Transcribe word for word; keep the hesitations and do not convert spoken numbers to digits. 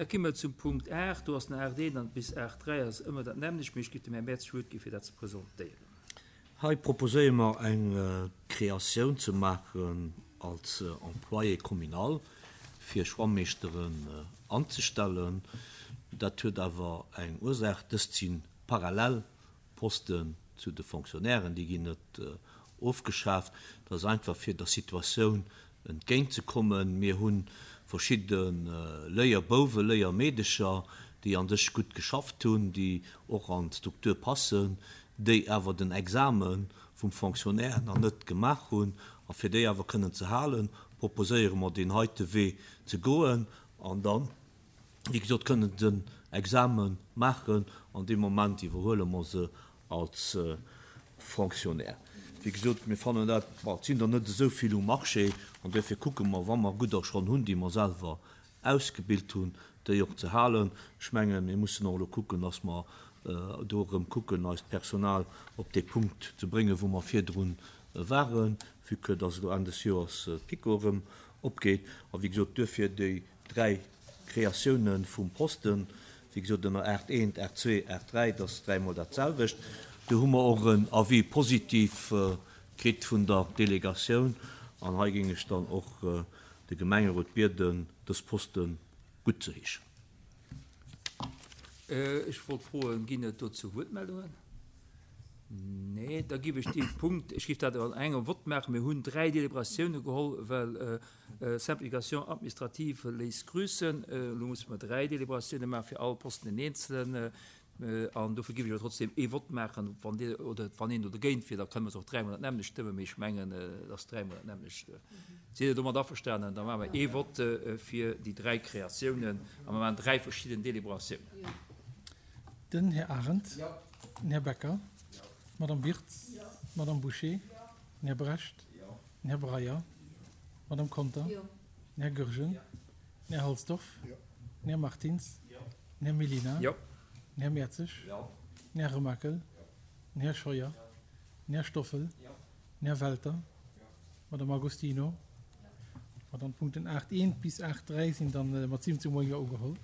Da komme mer zum Punkt aacht. Do ass den aacht eent an bis aacht dräi ass ëmmer dat nämmlecht, mee ech géif dem Här Merz d'Wuert gi fir dat ze presentéieren. Hei proposéiere mer eng Kreatioun ze maachen als Employé communal, fir Schwammeeschteren anzestellen. Dat huet awer eng Ursaach, Dëst si parallel Posten zu de Fonctionnairen, déi ginn net ofgeschaaft. Dat ass einfach fir der Situatioun entgéintzekommen. Mir hu verschidde Léierbouwen, Léiermeedecher, déi an sech gutt geschafft hunn, déi och an d'Struktur passen, déi awer den Exame vum Fonctionnaire nach net gemaach hunn. A fir déi awer kënnen ze halen, proposéiere mer deen heite Wee ze goen an dann, wéi gesot, kënnen den Exame maachen an dee Moment iwwerhuele mer se als Fonctionnaire. Wéi gesot, mir fannen dat, bon, et sinn der net esou vill um Marché an duerfir kucke mer, wa mer gudder schonn hunn, déi mer selwer ausgebilt hunn, déi och ze halen. Ech mengen, mir mussen och elo kucken, dass mer do erëm kucken, eist Personal op dee Punkt ze bréngen, wou mer virdrun waren, vue que dass elo Enn des Joers d'PiKo erëm opgeet. A wéi gesot, duerfir déi dräi Kreatiounen vum Posten, wéi gesot, ënner aacht eent, aacht zwee, aacht dräi, dat ass dräimol dat selwecht. Do hu mer och en Avis positif kritt vun der Delegatioun an hei géing ech dann och de Gemengerot bieden, dës Poste guttzeheeschen. Ech wollt froen, ginn et dozou Wuertmeldungen? Nee, da géif ech dee Punkt, ech géif dat an engem Vott maachen. Mir hunn dräi Deliberatioune geholl, well Simplification administrative léisst grüßen. Elo musse mer dräi Deliberatioune maachen, fir all Posten en eenzelen. An dofir géif ech awer trotzdem ee Vott maachen, wann Dir oder wann een do dergéint wier, da kënne mer se och dräimol dat nämmlecht stëmmen, mee ech mengen, et ass dräimol dat nämmlecht. Sidd Dir domat averstanen? Da maache mer ee Vott fir déi dräi Kreatiounen a mer maachen dräi verschidden Deliberatiounen. Den Här Arendt. Den Här Becker. D'Madame Wirtz. D'Madame Bouché. Den Här Brecht. Den Här Breyer. D'Madame Conter. Den Här Goergen. Den Här Halsdorf. Den Här Martins. Den Här Mellina. Den Här Mertzig. Den Här Remakel. Den Här Scheuer. Den Här Stoffel. Den Här Welter. D'Madame Agostino. An dann d'Punkten aacht eent bis aacht dräi sinn dann mat siwwenzeg Mol Jo ugeholl.